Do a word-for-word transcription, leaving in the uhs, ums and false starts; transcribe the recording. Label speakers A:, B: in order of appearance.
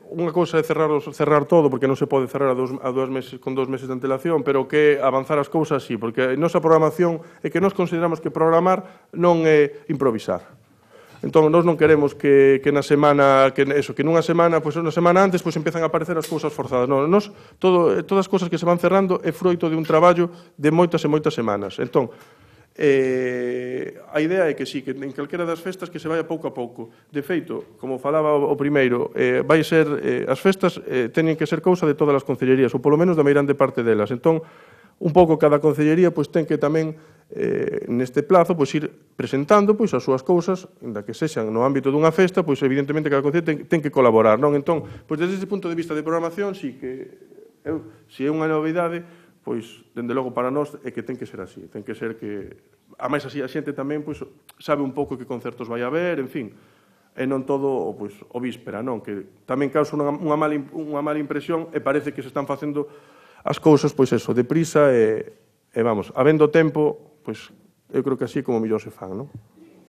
A: unha cousa é cerrar, os, cerrar todo, porque non se pode cerrar a dos, a dos meses, con dos meses de antelación, pero que avanzar as cousas sí, porque a nosa programación é que nós consideramos que programar non é improvisar. Entón, nós non queremos que, que na semana, que eso, que nunha semana, pois unha semana antes, pois empezan a aparecer as cousas forzadas. Non, nós, todo, todas as cousas que se van cerrando é froito de un traballo de moitas e moitas semanas. Entón, eh, a idea é que sí, que en calquera das festas que se vaya pouco a pouco. De feito, como falaba o, o primeiro, eh, vai ser, eh, as festas eh, teñen que ser cousa de todas as concellerías, ou polo menos da meirande parte delas. Entón, un pouco cada concellería pois ten que tamén eh, neste plazo pois ir presentando pois as súas cousas, inda que sexan no ámbito dunha festa, pois evidentemente cada concellería ten, ten que colaborar, non? Entón, pois desde ese punto de vista de programación, si que eu, si é unha novidade, pois dende logo para nós é que ten que ser así, ten que ser que a máis así a xente tamén pois sabe un pouco que concertos vai haber, en fin, e non todo pois o víspera, non? Que tamén causa unha, unha mala unha mala impresión e parece que se están facendo as cousas, pois eso, deprisa e, e vamos, habendo tempo, pois eu creo que así como mellor se fan, non?